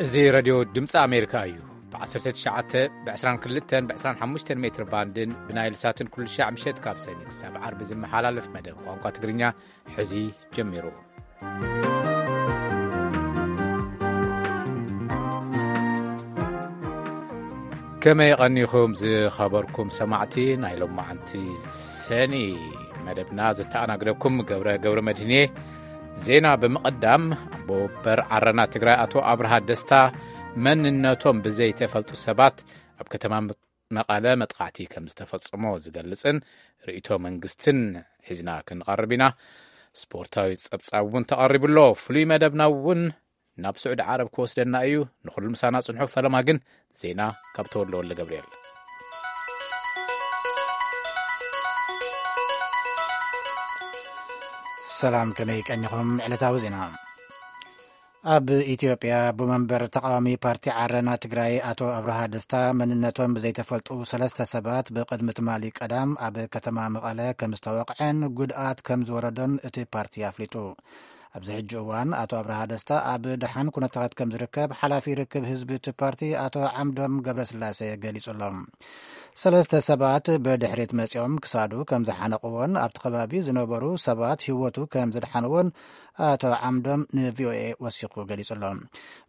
እዚ ሬድዮ ድምፂ ኣሜሪካ እዩ። ብ19፣ ብ22፣ ብ25 ሜትር ባንድን ብናይል ሳትን ኩሉ ሻዕ ምሸት ካብ ሰኒ ክሳብ ዓርቢ ዝመሓላለፍ መደብ ቋንቋ ትግርኛ ሕዚ ጀሚሩ። ከመይ ቀኒኹም ዝኸበርኩም ሰማዕቲ ናይ ሎማዓንቲ ሰኒ መደብና? ዘተኣናግደኩም ገብረ፣ ገብረ መድህኔ። ዜና ብምቕዳም፣ ኣቦ ወንበር ዓረና ትግራይ ኣቶ ኣብርሃ ደስታ መንነቶም ብዘይተፈልጡ ሰባት ኣብ ከተማ መቐለ መጥቃዕቲ ከም ዝተፈጸሞ ዝገልጽን ርእይቶ መንግስትን ሒዝና ክንቐርብ ኢና። ስፖርታዊ ጸብጻብ እውን ተቐሪቡ ኣሎ። ፍሉይ መደብና እውን ናብ ስዑዲ ዓረብ ክወስደና እዩ። ንኹሉ ምሳና ጽንሑ። ፈለማ ግን ዜና ካብ ተወልደ ወልደ ገብርኤል። ሰላም፣ ከመይ ቀኒኹም? ዕለታዊ ዜና። ኣብ ኢትዮጵያ፣ ኣቦ መንበር ተቃዋሚ ፓርቲ ዓረና ትግራይ ኣቶ ኣብርሃ ደስታ መንነቶም ብዘይተፈልጡ ሰለስተ ሰባት ብቅድሚ ትማሊ ቀዳም ኣብ ከተማ መቐለ ከም ዝተወቕዐን ጉድኣት ከም ዝወረዶን እቲ ፓርቲ ኣፍሊጡ። ኣብዚ ሕጂ እዋን ኣቶ ኣብርሃ ደስታ ኣብ ደሓን ኩነታት ከም ዝርከብ ሓላፊ ርክብ ህዝቢ እቲ ፓርቲ ኣቶ ዓምዶም ገብረስላሴ ገሊጹ ኣሎ። ሰለስተ ሰባት ብድሕሪት መጺኦም ክሳዱ ከም ዝሓነቕዎን ኣብቲ ከባቢ ዝነበሩ ሰባት ህይወቱ ከም ዝድሓንዎን ኣቶ ዓምዶም ንቪኦኤ ወሲኹ ገሊጹ ኣሎ።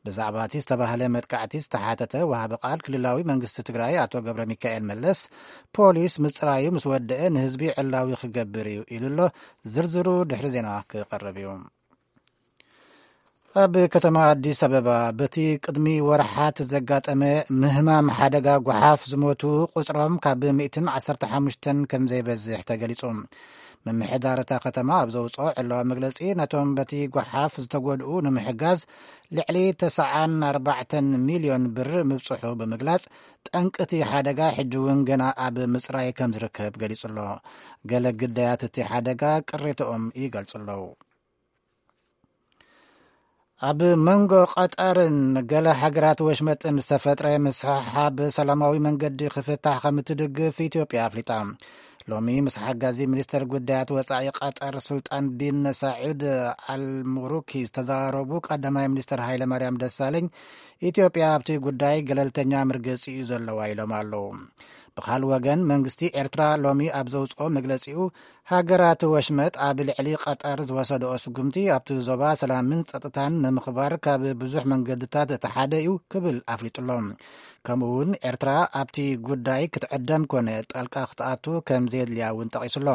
ብዛዕባ እቲ ዝተባህለ መጥቃዕቲ ዝተሓተተ ወሃቢ ቃል ክልላዊ መንግስቲ ትግራይ ኣቶ ገብረ ሚካኤል መለስ፣ ፖሊስ ምጽራዩ ምስ ወደአ ንህዝቢ ዕላዊ ክገብር እዩ ኢሉ ኣሎ። ዝርዝሩ ድሕሪ ዜና ክቐርብ እዩ። ኣብ ከተማ ኣዲስ ኣበባ በቲ ቅድሚ ወርሓት ዘጋጠመ ምህማም ሓደጋ ጓሓፍ ዝሞቱ ቁጽሮም ካብ ሚእትን ዓሰርተ ሓሙሽተን ከም ዘይበዝሕ ተገሊጹ። ምምሕዳር እታ ከተማ ኣብ ዘውጽኦ ዕለዋ መግለጺ፣ ነቶም በቲ ጓሓፍ ዝተጎድኡ ንምሕጋዝ ልዕሊ ተስዓን ኣርባዕተን ሚልዮን ብር ምብጽሑ ብምግላጽ፣ ጠንቂ እቲ ሓደጋ ሕጂ እውን ገና ኣብ ምጽራይ ከም ዝርከብ ገሊጹ ኣሎ። ገለ ግዳያት እቲ ሓደጋ ቅሬተኦም ይገልጹ ኣለዉ። ኣብ መንጎ ቀጠርን ገለ ሃገራት ወሽመጥን ዝተፈጥረ ምስሕሓብ ሰላማዊ መንገዲ ክፍታሕ ከም እትድግፍ ኢትዮጵያ ኣፍሊጣ። ሎሚ ምስ ሓጋዚ ሚኒስተር ጉዳያት ወጻኢ ቀጠር ሱልጣን ቢን ሳዑድ ኣልሙሩኪ ዝተዘራረቡ ቀዳማይ ሚኒስተር ሃይለ ማርያም ደሳለኝ፣ ኢትዮጵያ ኣብቲ ጉዳይ ገለልተኛ መርገጺ እዩ ዘለዋ ኢሎም ኣለዉ። ብኻልእ ወገን፣ መንግስቲ ኤርትራ ሎሚ ኣብ ዘውጽኦ መግለጺኡ፣ ሃገራት ወሽመጥ ኣብ ልዕሊ ቀጠር ዝወሰድኦ ስጉምቲ ኣብቲ ዞባ ሰላምን ጸጥታን ንምኽባር ካብ ብዙሕ መንገድታት እቲ ሓደ እዩ ክብል ኣፍሊጡ ኣሎ። ከምኡ እውን ኤርትራ ኣብቲ ጉዳይ ክትዕደም ኮነ ጣልቃ ክትኣቱ ከም ዘየድልያ እውን ጠቒሱ ኣሎ።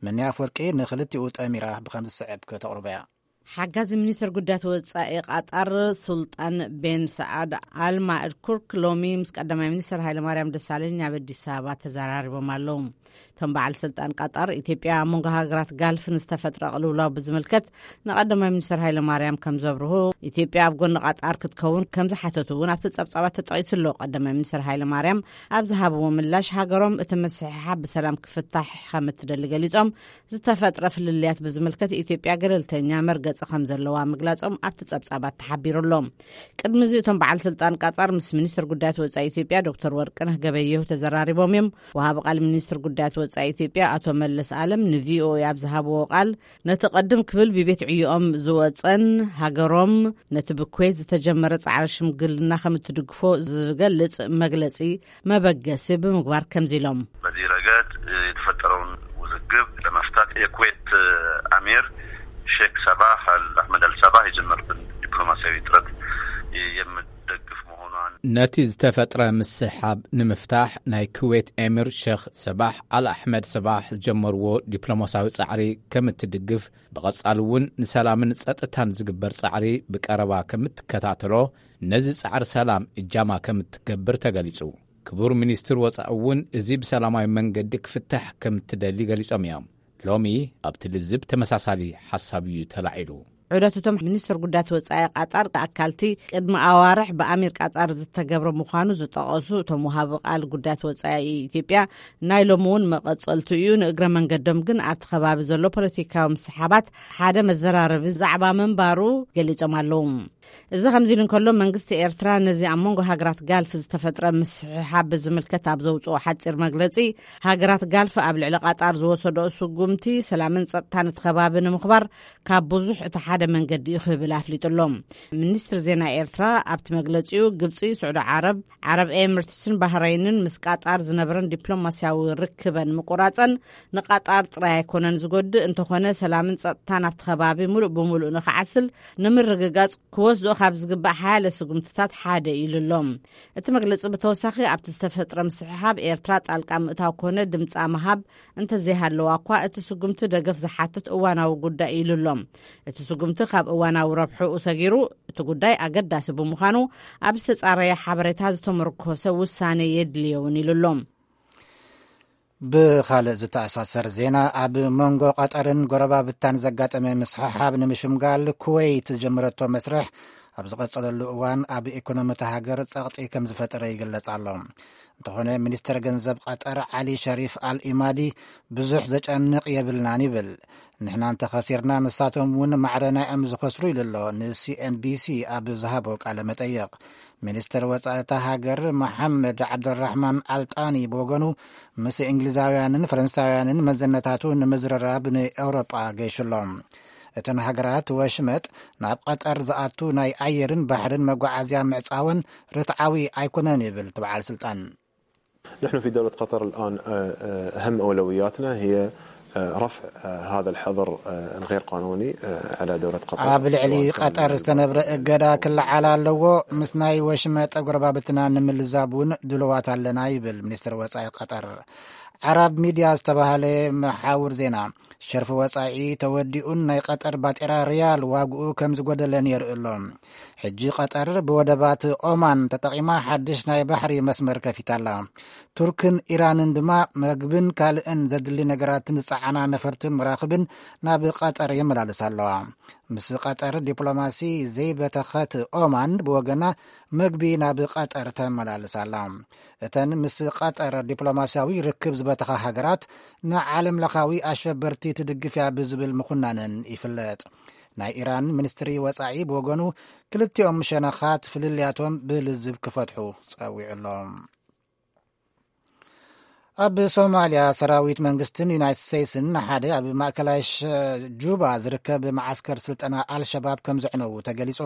መኒ ኣፍወርቂ ንኽልቲኡ ጠሚራ ብኸም ዝስዕብ ከተቕርቦ እያ። ሓጋዚ ሚኒስትር ጉዳያት ወጻኢ ቃጣር ሱልጣን ቤን ሰዓድ ኣል ማእድ ኩርክ ሎሚ ምስ ቀዳማይ ሚኒስትር ሃይለማርያም ደሳለኝ ኣብ ኣዲስ ኣበባ ተዘራሪቦም ኣለዉ። እቶም በዓል ስልጣን ቃጣር፣ ኢትዮጵያ ኣብ መንጎ ሃገራት ጋልፍ ንዝተፈጥረ ቅልውላው ብዝምልከት ንቀዳማይ ሚኒስትር ሃይለማርያም ከም ዘብርሁ፣ ኢትዮጵያ ኣብ ጎኒ ቃጣር ክትከውን ከም ዝሓተቱ እውን ኣብቲ ጸብጻባት ተጠቒሱ ኣሎ። ቀዳማይ ሚኒስትር ሃይለማርያም ኣብ ዝሃብዎ ምላሽ፣ ሃገሮም እቲ ምስሕሓብ ብሰላም ክፍታሕ ከም እትደሊ ገሊጾም፣ ዝተፈጥረ ፍልልያት ብዝምልከት ኢትዮጵያ ገለልተኛ መርገጺ ከም ዘለዋ ምግላጾም ኣብቲ ጸብጻባት ተሓቢሩ ኣሎ። ቅድሚ እዚ እቶም በዓል ስልጣን ቃጣር ምስ ሚኒስትር ጉዳያት ወጻኢ ኢትዮጵያ ዶክተር ወርቅነህ ገበየሁ ተዘራሪቦም እዮም። ወሃቢ ቃል ሚኒስትር ጉዳያት ወጻኢ ኢትዮጵያ ኣቶ መለስ ኣለም ንቪኦኤ ኣብ ዝሃብዎ ቃል፣ ነቲ ቅድም ክብል ብቤት ዕዮኦም ዝወጸን ሃገሮም ነቲ ብኩዌት ዝተጀመረ ጻዕሪ ሽምግልና ከም እትድግፎ ዝገልጽ መግለጺ መበገሲ ብምግባር ከምዚ ኢሎም። በዚህ ረገድ የተፈጠረውን ውዝግብ ለመፍታት የኩዌት አሚር ሼክ ሰባህ አል አህመድ አል ሰባህ የጀመሩትን ዲፕሎማሲያዊ ጥረት የምደግፍ መሆኗን። ነቲ ዝተፈጥረ ምስሕሓብ ንምፍታሕ ናይ ኩዌት ኤሚር ሼክ ሰባህ ኣል ኣሕመድ ሰባህ ዝጀመርዎ ዲፕሎማሲያዊ ጻዕሪ ከም እትድግፍ፣ ብቐጻሊ እውን ንሰላምን ጸጥታን ዝግበር ጻዕሪ ብቀረባ ከም እትከታተሎ፣ ነዚ ጻዕሪ ሰላም እጃማ ከም እትገብር ተገሊጹ። ክቡር ሚኒስትር ወጻኢ እውን እዚ ብሰላማዊ መንገዲ ክፍታሕ ከም እትደሊ ገሊጾም እዮም። ሎሚ ኣብቲ ልዝብ ተመሳሳሊ ሓሳብ እዩ ተላዒሉ። ዑደት እቶም ሚኒስትር ጉዳያት ወጻኢ ቃጣር ኣካልቲ ቅድሚ ኣዋርሕ ብኣሚር ቃጣር ዝተገብረ ምዃኑ ዝጠቐሱ እቶም ወሃቢ ቃል ጉዳያት ወጻኢ ኢትዮጵያ፣ ናይ ሎሚ እውን መቐጸልቱ እዩ። ንእግረ መንገዶም ግን ኣብቲ ከባቢ ዘሎ ፖለቲካዊ ምስሓባት ሓደ መዘራረቢ ዛዕባ ምንባሩ ገሊጾም ኣለዉ። እዚ ከምዚ ኢሉ እንከሎ፣ መንግስቲ ኤርትራ ነዚ ኣብ መንጎ ሃገራት ጋልፍ ዝተፈጥረ ምስሕሓብ ብዝምልከት ኣብ ዘውፅኦ ሓፂር መግለፂ፣ ሃገራት ጋልፍ ኣብ ልዕሊ ቃጣር ዝወሰደኦ ስጉምቲ ሰላምን ጸጥታን እቲ ከባቢ ንምኽባር ካብ ብዙሕ እቲ ሓደ መንገዲ እዩ ክብል ኣፍሊጡ ኣሎ። ሚኒስትሪ ዜና ኤርትራ ኣብቲ መግለጺኡ፣ ግብጺ፣ ስዑዲ ዓረብ፣ ዓረብ ኤምሬትስን ባህረይንን ምስ ቃጣር ዝነበረን ዲፕሎማስያዊ ርክበን ምቁራጸን ንቃጣር ጥራይ ኣይኮነን ዝጎድእ፣ እንተኾነ ሰላምን ጸጥታን ኣብቲ ከባቢ ሙሉእ ብሙሉእ ንኽዓስል ንምርግጋጽ ክወስድኦ ካብ ዝግባእ ሓያለ ስጉምትታት ሓደ ኢሉ ኣሎ። እቲ መግለጺ ብተወሳኺ፣ ኣብቲ ዝተፈጥረ ምስሕሓብ ኤርትራ ጣልቃ ምእታው ኮነ ድምጻ ምሃብ እንተዘይሃለዋ እኳ፣ እቲ ስጉምቲ ደገፍ ዝሓትት እዋናዊ ጉዳይ ኢሉ ኣሎ። እቲ ስጉምቲ ካብ እዋናዊ ረብሕኡ ሰጊሩ፣ እቲ ጉዳይ ኣገዳሲ ብምዃኑ፣ ኣብ ዝተጻረየ ሓበሬታ ዝተመርኮሰ ውሳኔ የድልዮ እውን ኢሉ ኣሎ። ብኻልእ ዝተኣሳሰር ዜና፣ ኣብ መንጎ ቀጠርን ጎረባብታን ዘጋጠመ ምስሕሓብ ንምሽምጋል ኩወይት ዝጀመረቶ መስርሕ ኣብ ዝቐጸለሉ እዋን፣ ኣብ ኢኮኖሚ እታ ሃገር ጸቕጢ ከም ዝፈጠረ ይግለጽ ኣሎ። እንተኾነ፣ ሚኒስተር ገንዘብ ቀጠር ዓሊ ሸሪፍ ኣል ኢማዲ፣ ብዙሕ ዘጨንቕ የብልናን ይብል። ንሕና እንተኸሲርና፣ ንሳቶም እውን ማዕረ ናይኦም ዝኸስሩ ኢሉ ኣሎ ንሲኤንቢሲ ኣብ ዝሃቦ ቃለ መጠይቕ። ሚኒስተር ወጻኢ እታ ሃገር መሓመድ ዓብደራሕማን ኣልጣኒ ብወገኑ፣ ምስ እንግሊዛውያንን ፈረንሳውያንን መዘነታቱ ንምዝርራብ ንኤውሮጳ ገይሹ ኣሎ። እተን ሃገራት ወሽመጥ ናብ ቀጠር ዝኣቱ ናይ ኣየርን ባሕርን መጓዓዝያ ምዕጻወን ርትዓዊ ኣይኮነን ይብል እቲ በዓል ስልጣን። نحن في دولة قطر الآن، آه، آه، أهم أولوياتنا هي، آه، رفع، آه، هذا الحظر، آه، الغير قانوني، آه، على دولة قطر، ኣብ ልዕሊ سواء كان ቀጠር ዝተነብረ እገዳ ክለዓል ኣለዎ። ምስ ናይ ወሽመጥ ጎረባብትና ንምልዛብ እውን ድልዋት ኣለና ይብል ሚኒስትር ወጻኢ ቀጠር። ዓራብ ሚድያ ዝተባህለ መሓውር ዜና፣ ሸርፊ ወጻኢ ተወዲኡን ናይ ቀጠር ባጤራ ሪያል ዋግኡ ከም ዝጎደለን የርኢ ኣሎ። ሕጂ ቀጠር ብወደባት ኦማን ተጠቒማ ሓድሽ ናይ ባሕሪ መስመር ከፊታ ኣላ። ቱርክን ኢራንን ድማ መግብን ካልእን ዘድሊ ነገራትን ዝጸዓና ነፈርቲ መራኽብን ናብ ቀጠር የመላልሳ ኣለዋ። ምስ ቀጠር ዲፕሎማሲ ዘይበተኸት ኦማን ብወገና መግቢ ናብ ቀጠር ተመላልሳ ኣላ። እተን ምስ ቀጠር ዲፕሎማስያዊ ርክብ ዝበተኻ ሃገራት ንዓለም ለኻዊ ኣሸበርቲ ትድግፍ እያ ብዝብል ምኹናነን ይፍለጥ። ናይ ኢራን ሚኒስትሪ ወጻኢ ብወገኑ ክልቲኦም ሸነኻት ፍልልያቶም ብልዝብ ክፈትሑ ጸዊዑ ኣሎ። ኣብ ሶማልያ ሰራዊት መንግስትን ዩናይትድ ስቴትስን ሓደ ኣብ ማእከላይ ሸ- ጁባ ዝርከብ መዓስከር ስልጠና ኣልሸባብ ከም ዘዕነዉ ተገሊጹ።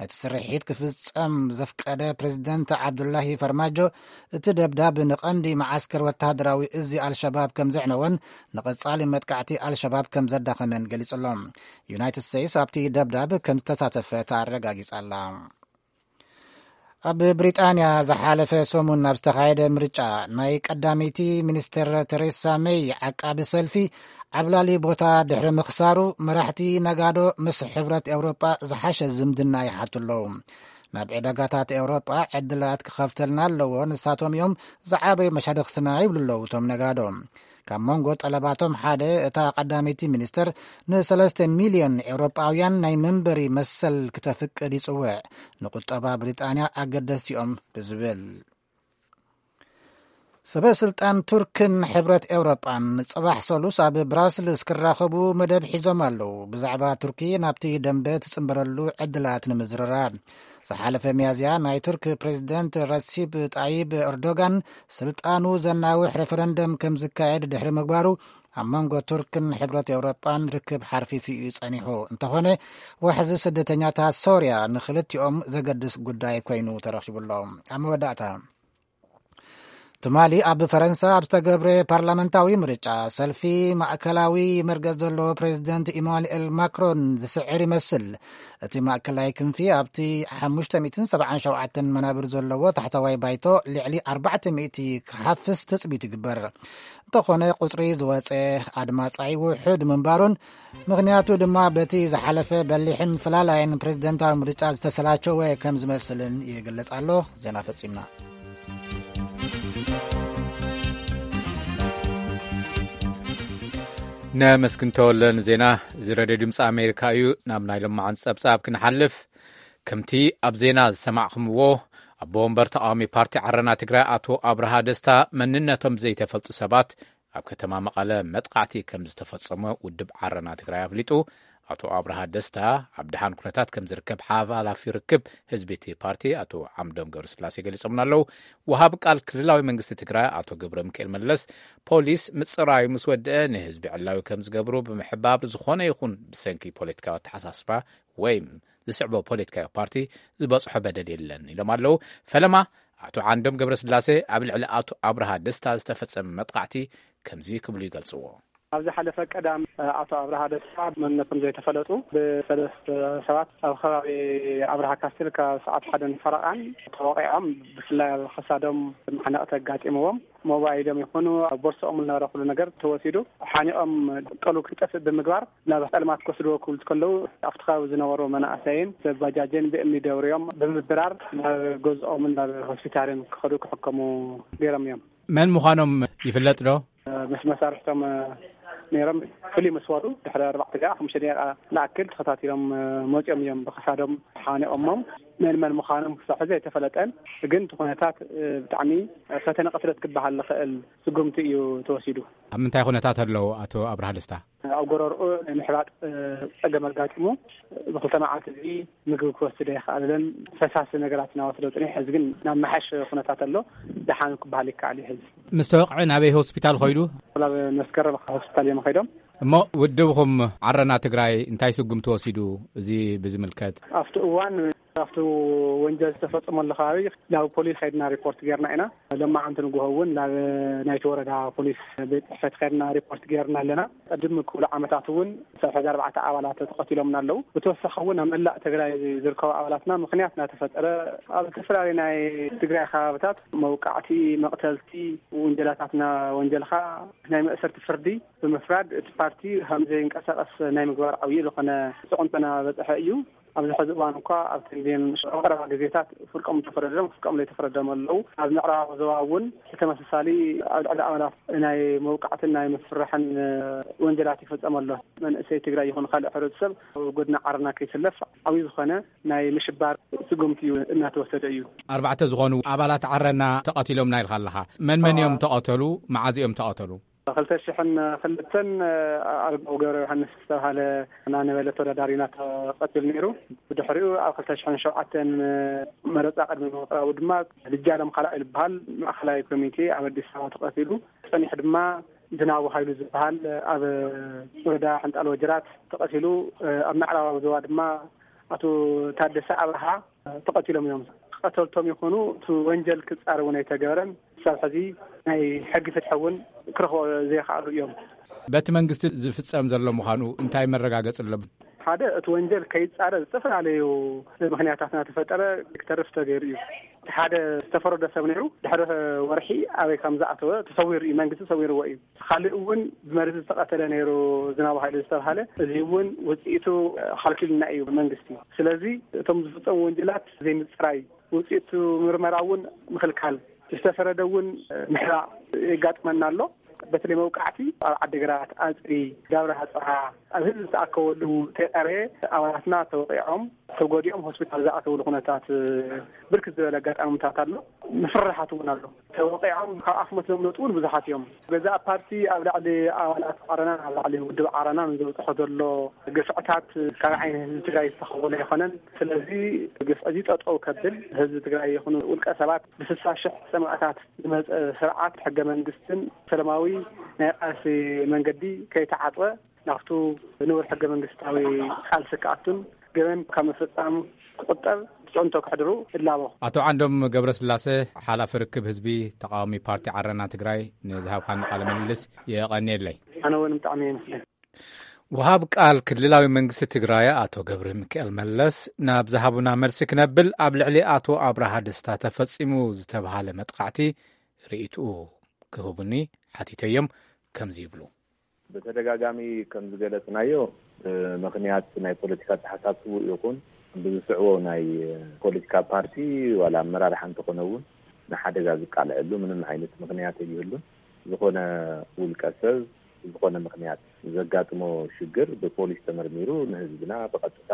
ነቲ ስርሒት ክፍጸም ዘፍቀደ ፕሬዚደንት ዓብዱላሂ ፈርማጆ፣ እቲ ደብዳብ ንቐንዲ መዓስከር ወተሃደራዊ እዚ ኣልሸባብ ከም ዘዕነወን ንቐጻሊ መጥቃዕቲ ኣልሸባብ ከም ዘዳኸመን ገሊጹ ኣሎ። ዩናይትድ ስቴትስ ኣብቲ ደብዳብ ከም ዝተሳተፈት ኣረጋጊጻ ኣላ። ኣብ ብሪጣንያ ዝሓለፈ ሰሙን ኣብ ዝተኻየደ ምርጫ፣ ናይ ቀዳመይቲ ሚኒስትር ቴሬሳ ሜይ ዓቃቢ ሰልፊ ዓብላሊ ቦታ ድሕሪ ምኽሳሩ፣ መራሕቲ ነጋዶ ምስ ሕብረት ኤውሮጳ ዝሓሸ ዝምድና ይሓቱ ኣለዉ። ናብ ዕዳጋታት ኤውሮጳ ዕድላት ክኸፍተልና ኣለዎ፣ ንሳቶም እዮም ዝዓበዩ መሻርኽትና ይብሉ ኣለዉ እቶም ነጋዶ። ካብ መንጎ ጠለባቶም ሓደ፣ እታ ቀዳመይቲ ሚኒስትር ንሰለስተ ሚልዮን ኤውሮጳውያን ናይ መንበሪ መሰል ክተፍቅድ ይጽውዕ፣ ንቁጠባ ብሪጣንያ ኣገደስቲ እዮም ብዝብል። ሰበ ስልጣን ቱርክን ሕብረት ኤውሮጳን ጽባሕ ሰሉስ ኣብ ብራስልስ ክራኸቡ መደብ ሒዞም ኣለዉ። ብዛዕባ ቱርኪ ናብቲ ደንበ ትጽንበረሉ ዕድላት ንምዝርራብ፣ ዝሓለፈ ሚያዝያ ናይ ቱርክ ፕሬዚደንት ረሲብ ጣይብ ኤርዶጋን ስልጣኑ ዘናውሕ ሬፈረንደም ከም ዝካየድ ድሕሪ ምግባሩ፣ ኣብ መንጎ ቱርክን ሕብረት ኤውሮጳን ርክብ ሓርፊፉ እዩ ጸኒሑ። እንተኾነ፣ ዋሕዚ ስደተኛታት ሶርያ ንክልቲኦም ዘገድስ ጉዳይ ኮይኑ ተረኺቡ ኣሎ። ኣብ መወዳእታ፣ ትማሊ ኣብ ፈረንሳ ኣብ ዝተገብረ ፓርላመንታዊ ምርጫ፣ ሰልፊ ማእከላዊ መርገጽ ዘለዎ ፕሬዚደንት ኢማኑኤል ማክሮን ዝስዕር ይመስል። እቲ ማእከላይ ክንፊ ኣብቲ ሓሙሽተ ሚእትን ሰብዓን ሸውዓተን መናብር ዘለዎ ታሕተዋይ ባይቶ ልዕሊ ኣርባዕተ ሚእቲ ክሓፍስ ትጽቢት ይግበር። እንተኾነ፣ ቁጽሪ ዝወጸ ኣድማጻይ ውሑድ ምንባሩን፣ ምኽንያቱ ድማ በቲ ዝሓለፈ በሊሕን ፈላላይን ፕሬዚደንታዊ ምርጫ ዝተሰላቸወ ከም ዝመስልን ይግለጽ ኣሎ። ዜና ፈጺምና። ነመስግን ተወለ ንዜና። እዚ ሬድዮ ድምፂ ኣሜሪካ እዩ። ናብ ናይ ሎማዓንቲ ጸብጻብ ክንሓልፍ፣ ከምቲ ኣብ ዜና ዝሰማዕኹምዎ፣ ኣቦ ወንበር ተቓዋሚ ፓርቲ ዓረና ትግራይ ኣቶ ኣብርሃ ደስታ፣ መንነቶም ዘይተፈልጡ ሰባት ኣብ ከተማ መቐለ መጥቓዕቲ ከም ዝተፈጸመ ውድብ ዓረና ትግራይ ኣፍሊጡ። ኣቶ ኣብርሃ ደስታ ኣብ ደሓን ኩነታት ከም ዝርከብ ሓላፊ ርክብ ህዝቢ እቲ ፓርቲ ኣቶ ዓምዶም ገብረስላሴ ገሊጾምና ኣለዉ። ወሃብ ቃል ክልላዊ መንግስቲ ትግራይ ኣቶ ገብረ ሚካኤል መለስ፣ ፖሊስ ምጽራዩ ምስ ወደአ ንህዝቢ ዕላዊ ከም ዝገብሩ ብምሕባር፣ ዝኾነ ይኹን ብሰንኪ ፖለቲካዊ ኣተሓሳስባ ወይ ዝስዕቦ ፖለቲካዊ ፓርቲ ዝበጽሖ በደል የለን ኢሎም ኣለዉ። ፈለማ ኣቶ ዓንዶም ገብረስላሴ ኣብ ልዕሊ ኣቶ ኣብርሃ ደስታ ዝተፈጸመ መጥቃዕቲ ከምዚ ክብሉ ይገልጽዎ። ኣብ ዝሓለፈ ቀዳም ኣቶ ኣብርሃ ደስታ መንነቶም ዘይተፈለጡ ብሰለስተ ሰባት ኣብ ከባቢ ኣብርሃ ካስትል ካብ ሰዓት ሓደን ፈረቓን ተወቒዖም፣ ብፍላይ ኣብ ክሳዶም ማሕነቕቲ ኣጋጢምዎም፣ ሞባይሎም ይኹኑ ኣብ ቦርሶኦም ዝነበረ ኩሉ ነገር ተወሲዱ፣ ሓኒቖም ቀሉ ክጠፍእ ብምግባር ናብ ጸልማት ክወስድዎ ክብሉ ከለዉ፣ ኣብቲ ከባቢ ዝነበሩ መናእሰይን ሰብ ባጃጅን ብእምኒ ደብርዮም ብምብራር ናብ ገዝኦምን ናብ ሆስፒታልን ክኸዱ ክሕከሙ ገይሮም እዮም። መን ምዃኖም ይፍለጥ ዶ? ምስ መሳርሕቶም ነይሮም፣ ፍልይ ምስ በሉ ድሕሪ ኣርባዕተ ደቂቃ፣ ሓሙሽተ ደቂቃ ንኣክል ተኸታቲሎም መፂኦም እዮም ብኽሳዶም ሓኒቖሞም። መን መን ምዃኖም ክሳብ ሕዚ ኣይተፈለጠን። ግን እቲ ኩነታት ብጣዕሚ ፈተነ ቅትለት ክበሃል ዝኽእል ስጉምቲ እዩ ተወሲዱ። ኣብ ምንታይ ኩነታት ኣለዉ ኣቶ ኣብርሃ ደስታ? ኣብ ጎረርኡ ናይ ምሕባጥ ጸገም ኣጋጢሙ፣ ብክልተ መዓልቲ እዚ ምግቢ ክወስድ ኣይከኣለን። ፈሳሲ ነገራት እናወሰደ ጽኒሕ፣ ሕዚ ግን ናብ መሓሽ ኩነታት ኣሎ። ደሓን ክበሃል ይከኣል እዩ። ሕዚ ምስ ተወቕዐ ናበይ ሆስፒታል ኸይዱ? ናብ መስከረም ሆስፒታል እዮም ኸይዶም። እሞ ውድብኹም ዓረና ትግራይ እንታይ ስጉምቲ ወሲዱ? እዚ ብዝምልከት ኣብቲ እዋን ኣብቲ ወንጀል ዝተፈጸመሉ ከባቢ ናብ ፖሊስ ኸይድና ሪፖርት ጌርና ኢና። ሎማዓንቲ ንግሆ እውን ናብ ናይቲ ወረዳ ፖሊስ ቤት ጽሕፈት ኸይድና ሪፖርት ጌርና ኣለና። ቅድም ክብሉ ዓመታት እውን ሰብዓ ኣርባዕተ ኣባላት ተቐቲሎምና ኣለዉ። ብተወሳኺ እውን ኣብ መላእ ትግራይ ዝርከቡ ኣባላትና ምኽንያት እናተፈጠረ ኣብ ዝተፈላለዩ ናይ ትግራይ ከባብታት መውቃዕቲ፣ መቕተልቲ፣ ውንጀላታትና ወንጀልኻ ናይ መእሰርቲ ፍርዲ ብምፍራድ እቲ ፓርቲ ከም ዘይንቀሳቐስ ናይ ምግባር ዓብዪ ዝኾነ ጽቕንቶ እናበጽሐ እዩ። ኣብዚ ሕዚ እዋን እኳ ኣብ ክንዲን ኣብ ቀረባ ግዜታት ፍርቆም ዝተፈረዶም፣ ፍርቆም ዘይተፈረዶም ኣለዉ። ኣብ ምዕራብ ዞባ እውን ብተመሳሳሊ ኣብ ልዕሊ ኣባላት ናይ መውቃዕትን ናይ ምፍርራሕን ወንጀላት ይፍጸም ኣሎ። መንእሰይ ትግራይ ይኹን ካልእ ሕብረተሰብ ኣብ ጎድኒ ዓረና ከይስለፍ ዓብዪ ዝኾነ ናይ ምሽባር ስጉምቲ እዩ እናተወሰደ እዩ። ኣርባዕተ ዝኾኑ ኣባላት ዓረና ተቐቲሎም ኢና ኢልካ ኣለኻ። መን መን እዮም ተቐተሉ? መዓዝ እዮም ተቐተሉ? ክልተ ሽሕን ክልተን ኣርጋው ገብረ ዮሃንስ ዝተባሃለ ናነበለ ተወዳዳሪና ተቐቲሉ ነይሩ። ብድሕሪኡ ኣብ ክልተ ሽሕን ሸውዓተን መረፃ ቅድሚ ምቕራቡ ድማ ልጃለም ካልኣይ ዝበሃል ማእኸላይ ኮሚቴ ኣብ ኣዲስ ኣበባ ተቐቲሉ። ጸኒሑ ድማ ዝናቡ ሃይሉ ዝበሃል ኣብ ወረዳ ሕንጣል ወጅራት ተቐቲሉ። ኣብ ምዕራባዊ ዞባ ድማ ኣቶ ታደሰ ኣብርሃ ተቐቲሎም እዮም። ቀተልቶም ይኹኑ እቲ ወንጀል ክጻረ እውን ኣይተገበረን። ክሳብ ሕዚ ናይ ሕጊ ፍትሒ እውን ክረኽቦ ዘይከኣሉ እዮም። በቲ መንግስቲ ዝፍጸም ዘሎ ምዃኑ እንታይ መረጋገጺ ኣሎ? ሓደ፣ እቲ ወንጀል ከይጻረ ዝተፈላለዩ ምኽንያታት እናተፈጠረ ክተርፍ ተገይሩ እዩ። እቲ ሓደ ዝተፈረዶ ሰብ ነይሩ፣ ድሕሪ ወርሒ ኣበይ ከም ዝኣተወ ተሰዊሩ እዩ፣ መንግስቲ ሰዊርዎ እዩ። ካልእ እውን ብመርዚ ዝተቐተለ ነይሩ፣ ዝናቡ ሃይሉ ዝተባሃለ፣ እዚ እውን ውፅኢቱ ሓልኪልና እዩ መንግስቲ። ስለዚ እቶም ዝፍጸሙ ወንጀላት ዘይምፅራይ፣ ውፅኢቱ ምርመራ እውን ምኽልካል፣ ዝተፈረደ እውን ምሕራቕ የጋጥመና ኣሎ። በተለይ መውቃዕቲ ኣብ ዓዲግራት፣ ኣፅቢ፣ ዳብራ ሃፅዓ፣ ኣብ ህዝቢ ዝተኣከበሉ ተይቐረየ ኣባላትና ተወቂዖም ተጎዲኦም ሆስፒታል ዝኣተውሉ ኩነታት ብርክት ዝበለ ኣጋጣሚታት ኣሎ። ምፍርራሓት እውን ኣሎ። ተወቂዖም ካብ ኣፍ መትሎም ዝወፁ እውን ብዙሓት እዮም። ገዛእ ፓርቲ ኣብ ልዕሊ ኣባላት ዓረናን ኣብ ልዕሊ ውድብ ዓረናን ዘውፅሖ ዘሎ ግፍዕታት ካብ ዓይኒ ህዝቢ ትግራይ ዝተኸወለ ኣይኮነን። ስለዚ ግፍዒ እዚ ጠጠው ከብል፣ ህዝቢ ትግራይ ይኹኑ ውልቀ ሰባት ብስሳ ሽሕ ሰማእታት ዝመፀ ስርዓት ሕገ መንግስትን ሰላማዊ ናይ ቃልሲ መንገዲ ከይተዓፅወ ናብቱ ንቡር ሕገ መንግስታዊ ቃልሲ ክኣቱን ገበን ካብ ምፍፃም ክቁጠብ ፅዕንቶ ከሕድሩ እላቦ። ኣቶ ዓንዶም ገብረስላሴ፣ ሓላፊ ርክብ ህዝቢ ተቃዋሚ ፓርቲ ዓረና ትግራይ፣ ንዝሃብካኒ ቃለ ምልልስ የቐንየለይ። ኣነ እውን ብጣዕሚ እየ መስገን። ወሃብ ቃል ክልላዊ መንግስቲ ትግራይ ኣቶ ገብረ ሚካኤል መለስ ናብ ዝሃቡና መልሲ ክነብል፣ ኣብ ልዕሊ ኣቶ ኣብርሃ ደስታ ተፈጺሙ ዝተብሃለ መጥቃዕቲ ርእይትኡ ክህቡኒ ሓቲተዮም። ከምዚ ይብሉ። ብተደጋጋሚ ከም ዝገለጽናዮ፣ ብምኽንያት ናይ ፖለቲካ ኣተሓሳስቡ ይኹን ብዝስዕቦ ናይ ፖለቲካ ፓርቲ ዋላ ኣመራርሓ እንተኾነ እውን ንሓደጋ ዝቃልዐሉ ምንም ዓይነት ምኽንያት የብሉን። ዝኾነ ውልቀ ሰብ ዝኾነ ምኽንያት ዘጋጥሞ ሽግር ብፖሊስ ተመርሚሩ ንህዝብና ብቐጥታ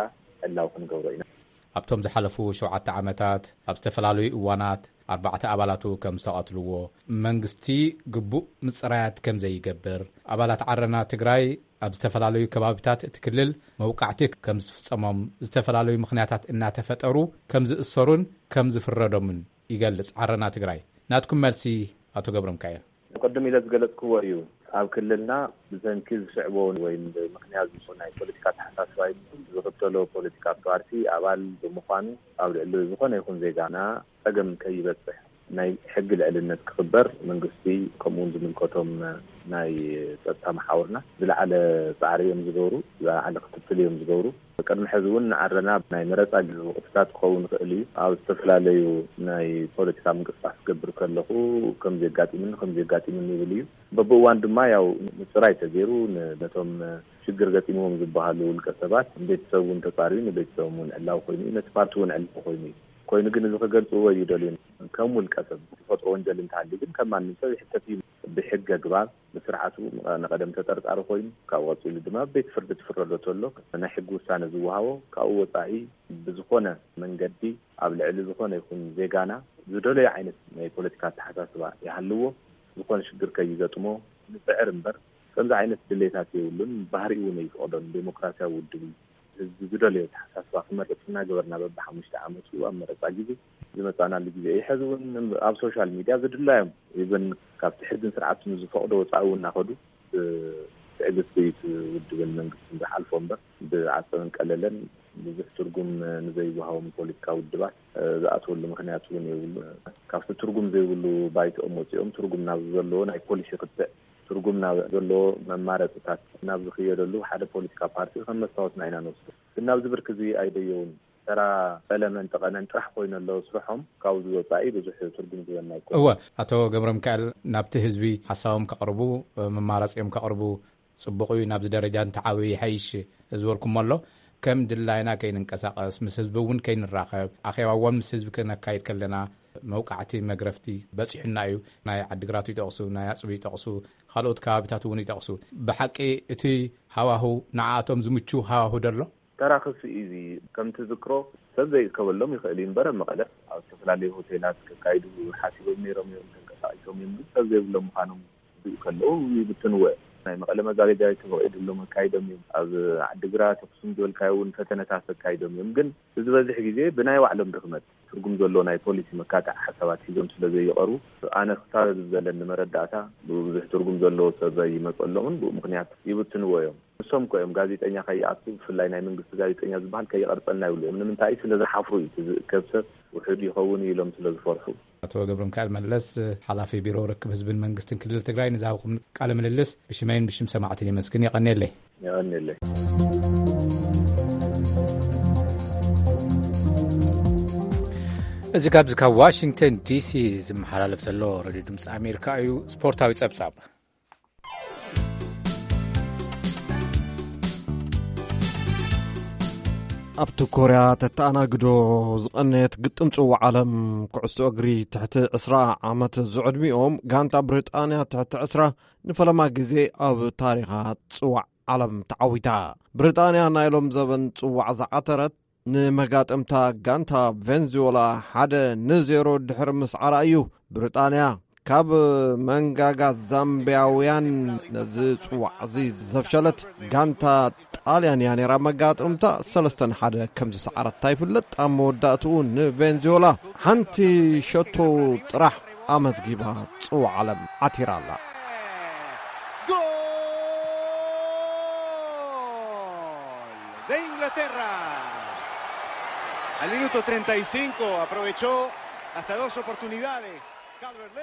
ዕላዊ ክንገብሮ ኢና። ኣብቶም ዝሓለፉ ሸውዓተ ዓመታት ኣብ ዝተፈላለዩ እዋናት ኣርባዕተ ኣባላቱ ከም ዝተቐትልዎ፣ መንግስቲ ግቡእ ምጽራያት ከም ዘይገብር፣ ኣባላት ዓረና ትግራይ ኣብ ዝተፈላለዩ ከባቢታት እቲ ክልል መውቃዕቲ ከም ዝፍጸሞም፣ ዝተፈላለዩ ምኽንያታት እናተፈጠሩ ከም ዝእሰሩን ከም ዝፍረዶምን ይገልጽ ዓረና ትግራይ። ናትኩም መልሲ፣ ኣቶ ገብረ ሚካኤል። ቅድም ኢለ ዝገለጽክዎ እዩ። ኣብ ክልልና ብሰንኪ ዝስዕቦ ወይ ብምኽንያት ዝኾነ ናይ ፖለቲካ ኣተሓሳስባ ይኹን ዝኽተሎ ፖለቲካ ፓርቲ ኣባል ብምዃኑ ኣብ ልዕሊ ዝኾነ ይኹን ዜጋና ጸገም ከይበጽሕ፣ ናይ ሕጊ ልዕልነት ክኽበር መንግስቲ ከምኡ እውን ዝምልከቶም ናይ ጸጥታ መሓውርና ዝለዓለ ጻዕሪ እዮም ዝገብሩ፣ ዝለዓለ ክትትል እዮም ዝገብሩ። ቅድሚ ሕዚ እውን ንዓረና ናይ መረጻ ወቕትታት ክኸውን ይኽእል እዩ። ኣብ ዝተፈላለዩ ናይ ፖለቲካ ምንቅስቃስ ክገብር ከለኹ ከም ዘጋጢምኒ ከም ዘጋጢምኒ ይብል እዩ። በብእዋን ድማ ያው ምጽራይ ተገይሩ ን-፣ ነቶም ሽግር ገጢምዎም ዝበሃሉ ውልቀ ሰባት ቤተሰብ እውን ተጻርዩ ንቤተሰቦም እውን ዕላዊ ኮይኑ እዩ፣ ነቲ ፓርቲ እውን ዕላዊ ኮይኑ እዩ። ኮይኑ ግን እዚ ክገልጽዎ እዩ ደልዩ። ከም ውልቀ ሰብ ዝፈጥሮ ወንጀል እንተሃልዩ ግን ከም ማንም ሰብ ይሕተት እዩ። ብሕጊ ኣግባብ ብስርዓቱ ንቐደም ተጠርጣሪ ኮይኑ ካብኡ ቀጺሉ ድማ ቤት ፍርዲ ትፍረዶ ተሎ ናይ ሕጊ ውሳነ ዝወሃቦ ካብኡ ወጻኢ ብዝኾነ መንገዲ ኣብ ልዕሊ ዝኾነ ይኹን ዜጋና ዝደለዮ ዓይነት ናይ ፖለቲካ ኣተሓሳስባ ይሃልዎ ዝኾነ ሽግር ከይገጥሞ ንጽዕር እምበር ከምዚ ዓይነት ድሌታት የብሉን። ባህሪኡ እውን ኣይፍቐዶን። ዴሞክራሲያዊ ውድብ እዩ። ህዝቢ ዝደለዮ ኣተሓሳስባ ክመርጽ እናገበርና በብሓሙሽተ ዓመቱ ኣብ መረጻ ግዜ ዝመጻናሉ ግዜ እዩ። ሕዚ እውን ኣብ ሶሻል ሚድያ ዝድላዮም ኢቨን ካብቲ ሕግን ስርዓትን ዝፈቕዶ ወጻኢ እውን እናኸዱ ብትዕግስቲ እቲ ውድብን መንግስትን ዝሓልፎ እምበር ብዓጸብን ቀለለን ብዙሕ ትርጉም ንዘይወሃቦም ፖለቲካ ውድባት ዝኣትወሉ ምኽንያት እውን የብሉ። ካብቲ ትርጉም ዘይብሉ ባይትኦም ወፂኦም ትርጉም ናብ ዘለዎ ናይ ፖሊሲ ክትዕ ትርጉም ናብ ዘለዎ መማረፅታት ናብ ዝኽየደሉ ሓደ ፖለቲካ ፓርቲ ከም መስታወትና ኢና ንወስዶ። ግን ናብዚ ብርኪ እዚ ኣይደየውን። ተራ ፈለመን ጠቐነን ጥራሕ ኮይኑ ኣለዉ ስርሖም ካብዚ ወፃኢ ብዙሕ ትርጉም ዝህበና ኣይኮነን። እወ፣ ኣቶ ገብረ ሚካኤል ናብቲ ህዝቢ ሓሳቦም ከቕርቡ፣ መማረፂኦም ከቕርቡ ጽቡቕ እዩ። ናብዚ ደረጃ እንተዓብዩ ይሓይሽ ዝበልኩሞ ኣሎ። ከም ድላይና ከይንንቀሳቐስ፣ ምስ ህዝቢ እውን ከይንራኸብ፣ ኣኼባ እውን ምስ ህዝቢ ክነካይድ ከለና መውቃዕቲ መግረፍቲ በጺሑና እዩ። ናይ ዓዲግራት ይጠቕሱ፣ ናይ ኣጽቢ ይጠቕሱ፣ ካልኦት ከባቢታት እውን ይጠቕሱ። ብሓቂ እቲ ሃዋሁ ንዓኣቶም ዝምቹ ሃዋሁ ዶ ኣሎ? ተራኽሲ እዩ እዚ። ከም ትዝክሮ ሰብ ዘይእከበሎም ይኽእል እዩ እምበር፣ ኣብ መቐለ ኣብ ዝተፈላለዩ ሆቴላት ከካይዱ ሓሲቦም ነይሮም እዮም፣ ተንቀሳቒሶም እዮም፣ ግን ሰብ ዘይብሎም ምዃኖም ዝብኡ ከለዉ ይብትንዎ እዮም። ናይ መቐለ መጋገጃ ተፈቒዱሎም ኣካይዶም እዮም። ኣብ ዓዲግራት፣ ኣኽሱም ዝበልካዮ እውን ፈተነታት ኣካይዶም እዮም። ግን ዝበዝሕ ግዜ ብናይ ባዕሎም ድኽመት ትርጉም ዘለዎ ናይ ፖሊሲ መካትዒ ሓሳባት ሒዞም ስለ ዘይቐርቡ፣ ኣነ ክሳብ ኣብዚ ዘለኒ መረዳእታ ብብዙሕ ትርጉም ዘለዎ ሰብ ኣይመፀሎምን፣ ብኡ ምኽንያት ይብትንዎ እዮም። ንሶም እኮ እዮም ጋዜጠኛ ከይኣቱ፣ ብፍላይ ናይ መንግስቲ ጋዜጠኛ ዝበሃል ከይቐርፀና ይብሉ እዮም። ንምንታይ? ስለ ዝሓፍሩ እዩ። እቲ ዝእከብ ሰብ ውሑድ ይኸውን እዩ ኢሎም ስለ ዝፈርሑ። ኣቶ ገብረ ሚካኤል መለስ፣ ሓላፊ ቢሮ ርክብ ህዝብን መንግስትን ክልል ትግራይ፣ ንዝሃብኩም ቃለ ምልልስ ብሽመይን ብሽም ሰማዕትን የመስግን። የቐንየለይ። የቐንየለይ። እዚ ካብዚ ካብ ዋሽንግተን ዲሲ ዝመሓላለፍ ዘሎ ሬድዮ ድምፂ ኣሜሪካ እዩ። ስፖርታዊ ጸብጻብ። ኣብቲ ኮርያ ተተኣናግዶ ዝቐነየት ግጥም ጽዋዕ ዓለም ኩዕሶ እግሪ ትሕቲ ዕስራ ዓመት ዝዕድሚኦም ጋንታ ብሪጣንያ ትሕቲ ዕስራ ንፈለማ ግዜ ኣብ ታሪኻ ጽዋዕ ዓለም ተዓዊታ። ብሪጣንያ ናይ ሎም ዘበን ጽዋዕ ዝዓተረት ንመጋጥምታ ጋንታ ቬንዙዌላ ሓደ ንዜሮ ድሕሪ ምስዓራ እዩ። ብሪጣንያ ካብ መንጋጋ ዛምቢያውያን ነዚ ጽዋዕ እዚ ዘፍሸለት ጋንታ ጣልያን እያ ነይራ። መጋጥምታ ሰለስተ ንሓደ ከም ዝሰዓረታ ይፍለጥ። ኣብ መወዳእትኡ ንቬንዙዌላ ሓንቲ ሸቶ ጥራሕ ኣመዝጊባ ጽዋዕ ዓለም ዓቲራ ኣላ። De Inglaterra. Al minuto treinta y cinco aprovechó hasta dos oportunidades.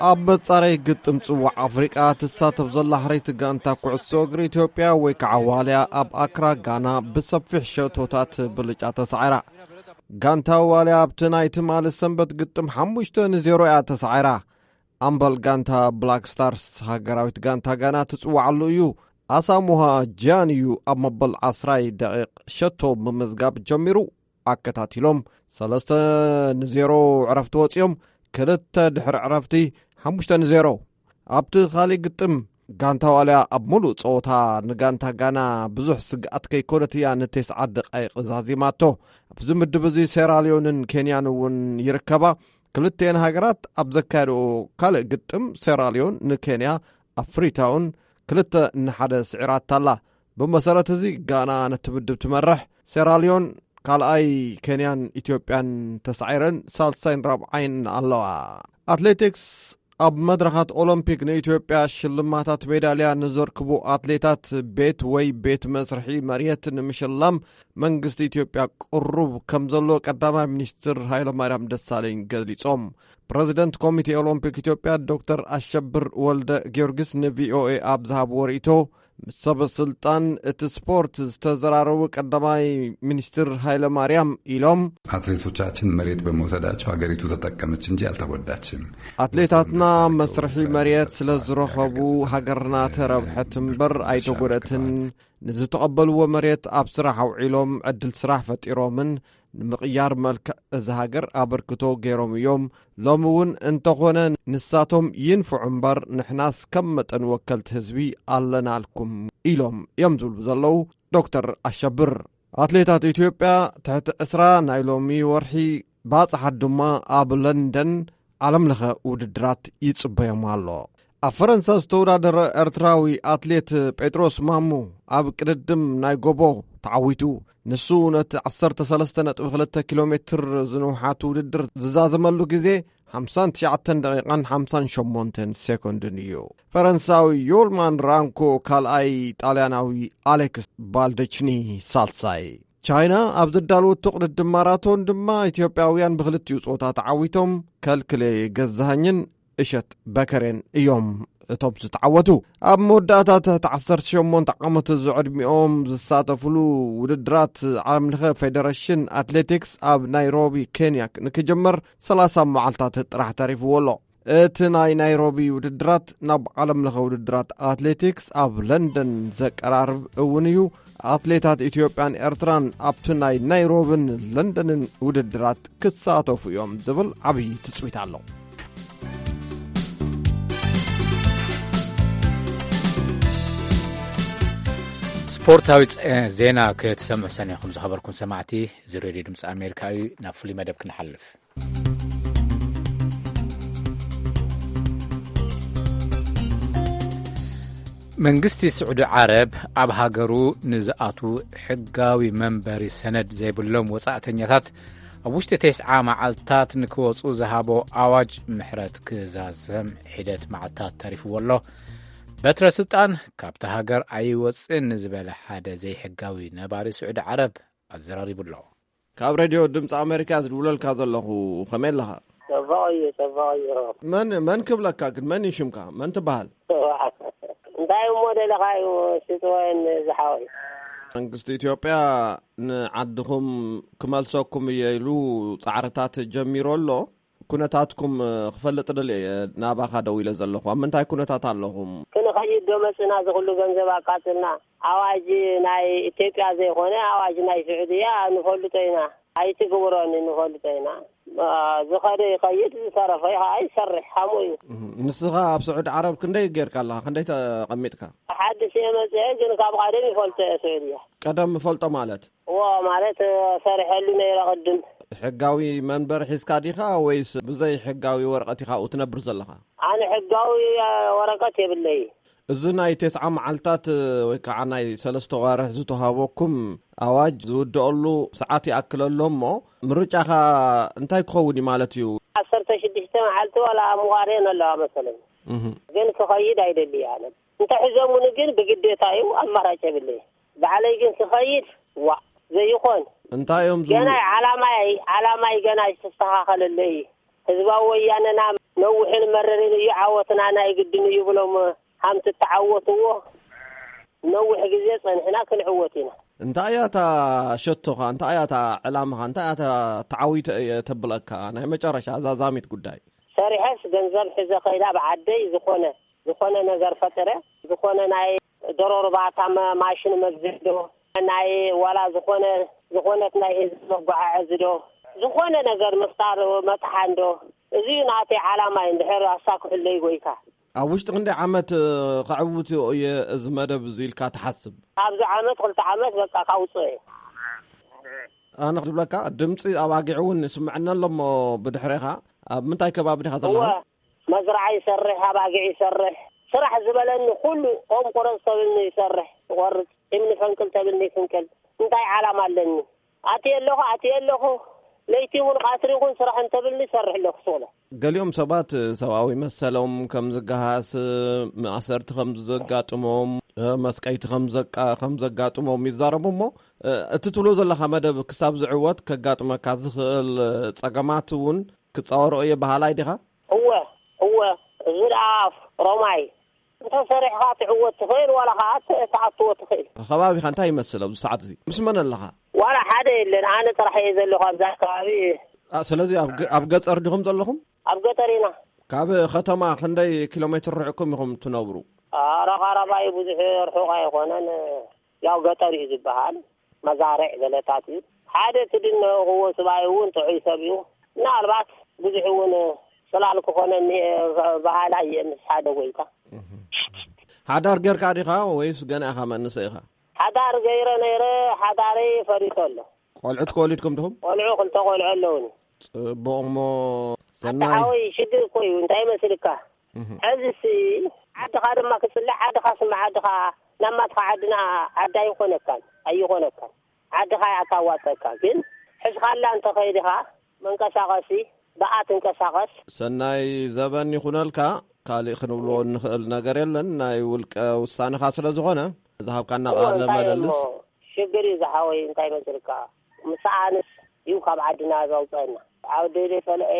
ኣብ መጻረይ ግጥም ጽዋዕ ኣፍሪቃ ትሳተፍ ዘላ ሕርይቲ ጋንታ ኩዕሶ እግሪ ኢትዮጵያ ወይ ከዓ ዋልያ ኣብ ኣክራ ጋና ብሰፊሕ ሸቶታት ብልጫ ተሳዒራ። ጋንታ ዋልያ ኣብቲ ናይ ትማሊ ሰንበት ግጥም ሓሙሽተ ንዜሮ እያ ተሳዒራ። ኣምበል ጋንታ ብላክ ስታርስ ሃገራዊት ጋንታ ጋና ትጽዋዓሉ እዩ። ኣሳሙሃ ጃን እዩ ኣብ መበል ዓስራይ ደቂቕ ሸቶ ምምዝጋብ ጀሚሩ። ኣከታቲሎም ሰለስተ ንዜሮ ዕረፍቲ ወጺኦም። ክልተ ድሕሪ ዕረፍቲ ሓሙሽተ ንዜሮ። ኣብቲ ካሊእ ግጥም ጋንታ ዋልያ ኣብ ሙሉእ ጸወታ ንጋንታ ጋና ብዙሕ ስግኣት ከይኮነት እያ ንቴስዓ ደቃይቕ ዛዚማቶ። ኣብዚ ምድብ እዚ ሴራልዮንን ኬንያን እውን ይርከባ። ክልቲኤን ሃገራት ኣብ ዘካየድኦ ካልእ ግጥም ሴራልዮን ንኬንያ ኣብ ፍሪታውን ክልተ ንሓደ ስዒራታ ኣላ። ብመሰረት እዚ ጋና ነቲ ምድብ ትመርሕ፣ ሴራልዮን ካልኣይ፣ ኬንያን ኢትዮጵያን ተሳዒረን ሳልሳይን ራብዓይን ኣለዋ። ኣትሌቲክስ ኣብ መድረኻት ኦሎምፒክ ንኢትዮጵያ ሽልማታት ሜዳልያ ንዘርክቡ ኣትሌታት ቤት ወይ ቤት መስርሒ መሬት ንምሽላም መንግስቲ ኢትዮጵያ ቅሩብ ከም ዘሎ ቀዳማይ ሚኒስትር ሃይለማርያም ደሳለኝ ገሊጾም። ፕረዚደንት ኮሚቴ ኦሎምፒክ ኢትዮጵያ ዶክተር ኣሸብር ወልደ ጊዮርጊስ ንቪኦኤ ኣብ ዝሃብዎ ርእይቶ፣ ምስ ሰበ ስልጣን እቲ ስፖርት ዝተዘራረቡ ቀዳማይ ሚኒስትር ሃይለ ማርያም ኢሎም፣ አትሌቶቻችን መሬት በመውሰዳቸው ሀገሪቱ ተጠቀመች እንጂ አልተጎዳችም። ኣትሌታትና መስርሒ መሬት ስለ ዝረኸቡ ሃገርና ተረብሐት እምበር ኣይተጎደትን። ንዝተቐበልዎ መሬት ኣብ ስራሕ ኣውዒሎም ዕድል ስራሕ ፈጢሮምን ንምቕያር መልክዕ እዚ ሃገር ኣበርክቶ ገይሮም እዮም። ሎሚ እውን እንተኾነ ንሳቶም ይንፍዑ እምበር ንሕናስ ከም መጠን ወከልቲ ህዝቢ ኣለናልኩም ኢሎም እዮም ዝብሉ ዘለዉ ዶክተር ኣሸብር። ኣትሌታት ኢትዮጵያ ትሕቲ ዕስራ ናይ ሎሚ ወርሒ ባጽሓት ድማ ኣብ ለንደን ዓለም ለኸ ውድድራት ይጽበዮም ኣሎ። ኣብ ፈረንሳ ዝተወዳደረ ኤርትራዊ ኣትሌት ጴጥሮስ ማሙ ኣብ ቅድድም ናይ ጎቦ ተዓዊቱ። ንሱ ነቲ ዓሰርተ ሰለስተ ነጥቢ ክልተ ኪሎ ሜትር ዝንውሓት ውድድር ዝዛዘመሉ ግዜ ሓምሳን ትሽዓተን ደቂቓን ሓምሳን ሸሞንተን ሴኮንድን እዩ። ፈረንሳዊ ዮልማን ራንኮ ካልኣይ፣ ጣልያናዊ ኣሌክስ ባልደችኒ ሳልሳይ። ቻይና ኣብ ዘዳለወቶ ቅድድም ማራቶን ድማ ኢትዮጵያውያን ብክልቲኡ ጾታ ተዓዊቶም። ከልክሌ ገዛሃኝን እሸት በከሬን እዮም እቶም ዝተዓወቱ። ኣብ መወዳእታ ትሕቲ ዓሰርተ ሸሞንተ ዓመት ዝዕድሚኦም ዝሳተፍሉ ውድድራት ዓለምለኸ ፌደሬሽን ኣትሌቲክስ ኣብ ናይሮቢ ኬንያ ንክጅመር ሰላሳ መዓልታት ጥራሕ ተሪፍዎ ኣሎ። እቲ ናይ ናይሮቢ ውድድራት ናብ ዓለምለኸ ውድድራት ኣትሌቲክስ ኣብ ለንደን ዘቀራርብ እውን እዩ። ኣትሌታት ኢትዮጵያን ኤርትራን ኣብቲ ናይ ናይሮብን ለንደንን ውድድራት ክሳተፉ እዮም ዝብል ዓብዪ ትጽቢት ኣሎ። ስፖርታዊ ጸ-፣ ዜና ክትሰምዑ ሰኒኹም ዝኸበርኩም ሰማዕቲ፣ እዚ ሬድዮ ድምፂ ኣሜሪካ እዩ። ናብ ፍሉይ መደብ ክንሓልፍ። መንግስቲ ስዑዲ ዓረብ ኣብ ሃገሩ ንዝኣትዉ ሕጋዊ መንበሪ ሰነድ ዘይብሎም ወጻእተኛታት ኣብ ውሽጢ ተስዓ መዓልታት ንክወጹ ዝሃቦ ኣዋጅ ምሕረት ክዛዘም ሒደት መዓልታት ተሪፍዎ ኣሎ። በትረ ስልጣን ካብታ ሃገር ኣይወጽእን ንዝበለ ሓደ ዘይሕጋዊ ነባሪ ስዑዲ ዓረብ ኣዘራሪቡ ኣሎ። ካብ ሬድዮ ድምፂ ኣሜሪካ ዝድውለልካ ዘለኹ፣ ከመይ ኣለኻ? ጽቡቕ እዩ፣ ጽቡቕ እዩ። መን፣ መን ክብለካ ግን? መን እዩ ሽምካ? መን ትበሃል? ጽቡቕ። እንታይ እሞ ደለኻ እዩ፣ ስጥወን ዝሓወይ? መንግስቲ ኢትዮጵያ ንዓድኹም ክመልሰኩም እየ ኢሉ ጻዕርታት ጀሚሩ ኣሎ። ኩነታትኩም ክፈልጥ ደልየ እየ ናባኻ ደው ኢለ ዘለኹ። ኣብ ምንታይ ኩነታት ኣለኹም? ክንኸይድ ዶ መጽና? እዚ ኩሉ ገንዘብ ኣቃጽልና። ኣዋጅ ናይ ኢትዮጵያ ዘይኮነ ኣዋጅ ናይ ስዑድያ ንፈልጦ ኢና። ኣይትግብሮን ንፈልጦ ኢና። አ፣ ዝኸደ ይኸይድ፣ ዝተረፈ ከዓ ይሰርሕ። ከምኡ እዩ። እህ፣ ንስኻ ኣብ ስዑድ ዓረብ ክንደይ ጌርካ ኣለኻ? ክንደይ ተቐሚጥካ? ሓድሽ እየ መጽአ፣ ግን ካብ ቀደም ይፈልጦ እየ ስዑድያ። ቀደም እፈልጦ ማለት? እዎ፣ ማለት፣ እ፣ ሰሪሐሉ ነይረ ቅድም። ሕጋዊ መንበሪ ሒዝካ ዲኻ ወይስ ብዘይ ሕጋዊ ወረቐት ኢኻ ኣብኡ ትነብር ዘለኻ? ኣነ ሕጋዊ፣ እ፣ ወረቐት የብለይ። እዚ ናይ ተስዓ መዓልታት፣ እ፣ ወይ ከዓ ናይ ሰለስተ ዋርሕ ዝተዋህበኩም ኣዋጅ ዝውድኣሉ ሰዓት ይኣክል ኣሎ እሞ፣ ምርጫኻ እንታይ ክኸውን እዩ ማለት እዩ? ዓሰርተ ሽዱሽተ መዓልቲ ዋላ ምዋርየን ኣለዋ መሰለኝ። እህ። ግን ክኸይድ ኣይደሊ ኣነ። እንተ ሒዞሙኒ ግን ብግዴታ እዩ፣ ኣማራጭ የብለይ። ባዕለይ ግን ክኸይድ፣ ዋእ፣ ዘይኾን። እንታይ እዮም ዝብሉ? ገናይ ዓላማይ፣ ዓላማይ ገና ዝተስተኻኸለለይ። ህዝባዊ ወያነና ነዊሕን መረርን እዩ፣ ዓወትና ናይ ግድን እዩ ብሎም ሃምቲ ተዓወትዎ። ነዊሕ ግዜ ጸኒሕና ክንዕወት ኢና። እንታይ እያ እታ ሸቶኻ? እንታይ እያ እታ ዕላማኻ? እንታይ እያ እታ ተዓዊተ እየ ተብለካ? ናይ መጨረሻ ዛዛሚት ጉዳይ። ሰሪሐስ ገንዘብ ሒዘ ከይዳ ብዓደይ ዝኾነ፣ ዝኾነ ነገር ፈጥረ፣ ዝኾነ ናይ ዶሮ እርባታ መ-፣ ማሽን መግዝእ ዶ፣ ናይ ዋላ ዝኾነ፣ ዝኾነት ናይ ህዝቢ መጓዓዐዚ ዶ፣ ዝኾነ ነገር ምፍጣር መጥሓን ዶ፣ እዚ እዩ ናተይ ዓላማይ። እንድሕር ኣሳክሑለይ ጎይታ። ኣብ ውሽጢ ክንደይ ዓመት፣ እ፣ ከዕውት እየ እዚ መደብ እዚ ኢልካ ትሓስብ? ኣብዚ ዓመት፣ ክልተ ዓመት በቃ ካውፅኦ እየ። ኣነ ክብለካ፣ ድምፂ ኣባጊዕ እውን ይስምዐኒ ኣሎ እሞ ብድሕሬኻ፣ ኣብ ምንታይ ከባቢ ዲኻ ዘለኻ? እወ፣ መዝርዓ ይሰርሕ፣ ኣባጊዕ ይሰርሕ፣ ስራሕ ዝበለኒ ኩሉ፣ ኦም ቁረፅ ተብልኒ ይሰርሕ፣ ይቆርፅ። እምኒ ተብልኒ ፍንቅል። እንታይ ዓላማ ኣለኒ? ኣትየ ኣለኹ፣ ኣትየ ኣለኹ። ለይቲ እውን ቀትሪ ይኹን ስራሕ እንተብልኒ ይሰርሕ ኣለኹ፣ ስቕ ኢለ። ገሊኦም ሰባት ሰብኣዊ መሰሎም ከም ዝገሃስ፣ ማእሰርቲ ከም ዘጋጥሞም፣ መስቀይቲ ከም ዘቃ-፣ ከም ዘጋጥሞም ይዛረቡ እሞ፣ እቲ ትብሎ ዘለኻ መደብ ክሳብ ዝዕወት ከጋጥመካ ዝኽእል ጸገማት እውን ክጻወሮ እየ በሃላይ ዲኻ? እወ፣ እወ፣ እዚ ደኣ ሮማይ፣ እንተ ሰሪሕኻ ትዕወት ትኽእል፣ ዋላ ኸዓ ት-፣ ትኣትዎ ትኽእል። ከባቢኻ እንታይ ይመስል ኣብዚ ሰዓት እዚ? ምስ መን ኣለኻ? ዋላ ሓደ የለን፣ ኣነ ጥራሕ እየ ዘለኹ ኣብዚ ኣከባቢ። ኣ፣ ስለዚ ኣብ ገ-፣ ኣብ ገጸር ዲኹም ዘለኹም? ኣብ ገጠር ኢና። ካብ ከተማ ክንደይ ኪሎ ሜትር ርሕቅኩም ኢኹም ትነብሩ? ኣረ፣ ቃረባ እዩ፣ ብዙሕ ርሑቕ ኣይኾነን። ያው ገጠር እዩ ዝበሃል። መዛርዕ ገለታት እዩ። ሓደ እቲ ድነኹዎ ስብኣይ እውን ጥዑይ ሰብ እዩ። ምናልባት ብዙሕ እውን ጽላል ክኾነኒ እየ በሃላይ እየ ምስ ሓደ ጎይታ። እህ። ሓዳር ጌርካ ዲኻ ወይስ ገና ኢኻ መንእሰይ ኢኻ? ሓዳር ገይረ ነይረ፣ ሓዳረይ ፈሪሱ ኣሎ። ቆልዑት ከወሊድኩም ዲኹም? ቆልዑ፣ ክልተ ቆልዑ ኣለውኒ። ጽቡቕ እሞ ኣታ ሰናይ። ሓወይ፣ ሽግር እኮ እዩ። እንታይ መስልካ? እህ። ሕዚሲ ዓድኻ ድማ ክጽልእ፣ ዓድኻ ስምዓ፣ ዓድኻ ናማትኻ ዓድና ዓዲ ኣይኾነካን፣ ኣይኾነካን። ዓድኻ እያ ኣታዋጸካ። ግን ሕዝኻላ እንተኸይድኻ መንቀሳቐሲ ብኣ ትንቀሳቐስ። ሰናይ ዘበን ይኹነልካ። ካልእ ክንብሎ እንኽእል ነገር የለን። ናይ ውልቀ ውሳነኻ ስለ ዝኾነ ዝሃብካና እዎ፣ ቃለ እንታይ እሞ ምልልስ። ሽግር እዩ ዝሓወይ፣ እንታይ መስልካ? ምሳኣንስ እዩ ካብ ዓድና ዘውፀና። ኣብ ደይደ ጸልአ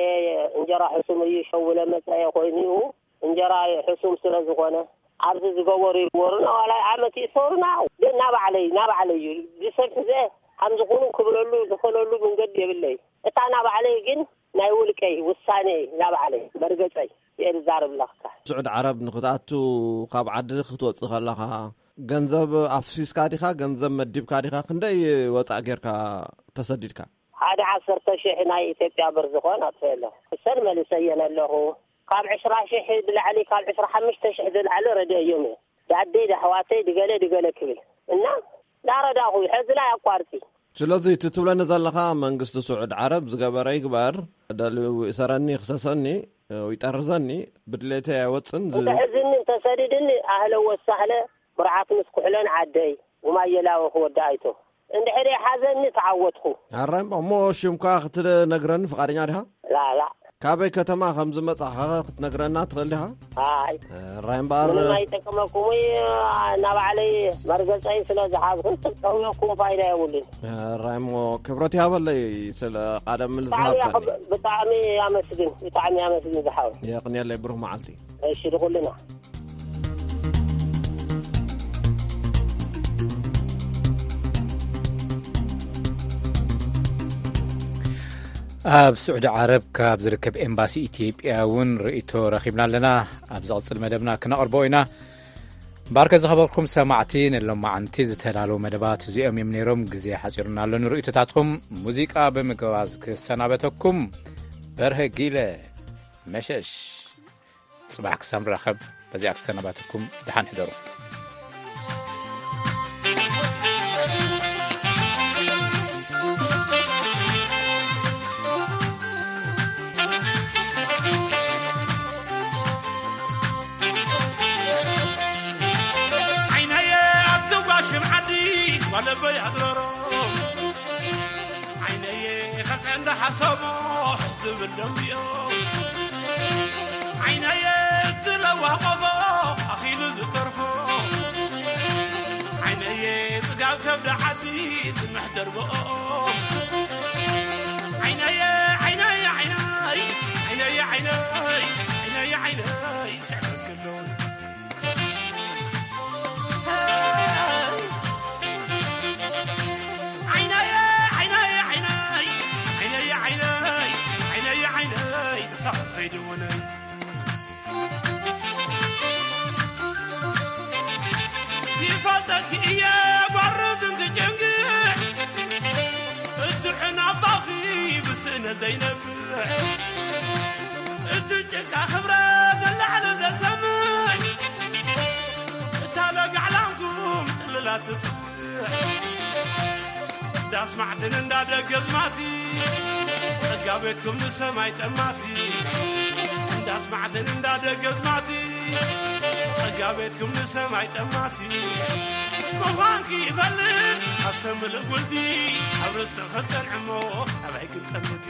እንጀራ ሕሱም እዩ ሸውለ መጸየ ኮይኑ እዩ። እንጀራ ሕሱም ስለ ዝኾነ ኣብዚ ዝገበሩ ይግበሩና፣ ዋላ ዓመት ይእሰሩና። ግን ናባዕለይ፣ ናባዕለይ እዩ። ብሰብ ሕዘ ከም ዝኾኑ ክብለሉ ዝኽእለሉ መንገዲ የብለይ። እታ ናባዕለይ ግን ናይ ውልቀይ ውሳኔ፣ ናባዕለይ መርገጸይ እየ ዝዛረብ ኣለኽካ። ስዑድ ዓረብ ንኽትኣቱ ካብ ዓዲ ክትወጽእ ከለኻ ገንዘብ ኣፍሲስካ ዲኻ? ገንዘብ መዲብካ ዲኻ? ክንደይ ወጻእ ጌርካ ተሰዲድካ? ሓደ ዓሰርተ ሺሕ ናይ ኢትዮጵያ ብር ዝኾን ኣጥፍኤ ኣለኹ። እሰን መሊሰየን ኣለኹ። ካብ ዕስራ ሺሕ ብላዕሊ፣ ካብ ዕስራ ሓሙሽተ ሺሕ ዝላዕሊ ረድኤዮም እየ። ዳደይ፣ ዳሕዋተይ፣ ድገለ፣ ድገለ ክብል እና ዳረዳኹ፣ ሕዚ ላይ ኣቋርጺ። ስለዚ እቲ ትብለኒ ዘለኻ መንግስቲ ስዑድ ዓረብ ዝገበረ ይግበር፣ ደልዩ ይእሰረኒ፣ ይኽሰሰኒ፣ ይጠርዘኒ፣ ብድሌተይ ኣይወጽን ዝ- እንተ ሕዝኒ፣ እንተ ሰዲድኒ፣ ኣህለ ወሳህለ፣ ብርዓት ምስ ኩሕለን ዓደይ፣ ውማየላወ ክወዲ ኣይቶ። እንድሕር ሓዘኒ ተዓወትኩ። ኣራይ እሞ ሽምካ ክትነግረኒ ፍቓደኛ ዲኻ? ላ፣ ላ። ካበይ ከተማ ከም ዝመጻኻ ክትነግረና ትኽእል ዲኻ? ኣይ። ኣራይ እምበኣር። ምንም ኣይጠቅመኩም እዩ። ናብ ባዕለይ መርገጸይ ስለ ዝሓዝኩ፣ ክጠውየኩም ፋይዳ የብሉን። ኣራይ እሞ ክብረት ይሃበለይ ስለ ቃለ ምልልስ ብጣዕሚ ዝሃብካኒ። ኣኽብ-፣ ብጣዕሚ ኣመስግን፣ ብጣዕሚ ኣመስግን ዝሓወይ። የቕንየለይ፣ ብሩኽ መዓልቲ። እሺ፣ ንኹልና። ኣብ ስዑዲ ዓረብ ካብ ዝርከብ ኤምባሲ ኢትዮጵያ እውን ርእይቶ ረኺብና ኣለና። ኣብ ዝቕጽል መደብና ክነቕርቦ ኢና። እምበኣርከ ዝኸበርኩም ሰማዕቲ፣ ንሎማዓንቲ ዝተዳለዉ መደባት እዚኦም እዮም ነይሮም። ግዜ ሓጺሩና ኣሎ ንርእይቶታትኩም። ሙዚቃ ብምግባዝ ክሰናበተኩም፣ በርሀ ጊለ መሸሽ። ጽባሕ ክሳብ ንራኸብ፣ በዚኣ ክሰናባተኩም፣ ደሓን ሕደሩ። ዓይነየ ኣብቲ ጓሽም ዓዲ ጓለበይ ኣድረሮ። ዓይነየ ኸስዐ እንዳሓሰቦ ዝብል ደንጉዮ። ዓይነየ እቲ ለዋህ ቆፎ ኣኺሉ ዝተርፎ። ዓይነየ ጽጋብ ከብዲ ዓዲ ዝምሕደር ብኦ። ዓይነየ፣ ዓይነየ፣ ዓይነይ፣ ዓይነየ፣ ዓይነይ፣ ዓይነየ፣ ዓይነይ፣ ስዕበክሎ። ዓይነየ፣ ዓይነየ፣ ዓይነይ፣ ዓይነየ፣ ዓይነይ፣ ዓይነየ፣ ዓይነይ፣ ብሳዕ ከይድውነይ። ይፈልጠኪ እየ ጓርዝ እንትጭንግዕ፣ እቲ ዕናባኺ ብስእነ ዘይነብዕ፣ እቲ ጭቃ ክብረ ንላዕሊ ዘሰምዕ፣ እታ ለጋዕላንኩም ጥልላት ትጽውዕ። እንዳስማዕትን እንዳደገዝማቲ፣ ጸጋ ቤትኩም ንሰማይ ጠማቲ። እንዳስማዕትን እንዳደገዝማቲ፣ ጸጋ ቤትኩም ንሰማይ ጠማቲ። ኳንኪ ይፈልጥ ኣብ ሰምል ጉልቲ ኣብ ርስቲ ክትጸንዕሞ ኣባይ ክትጠምት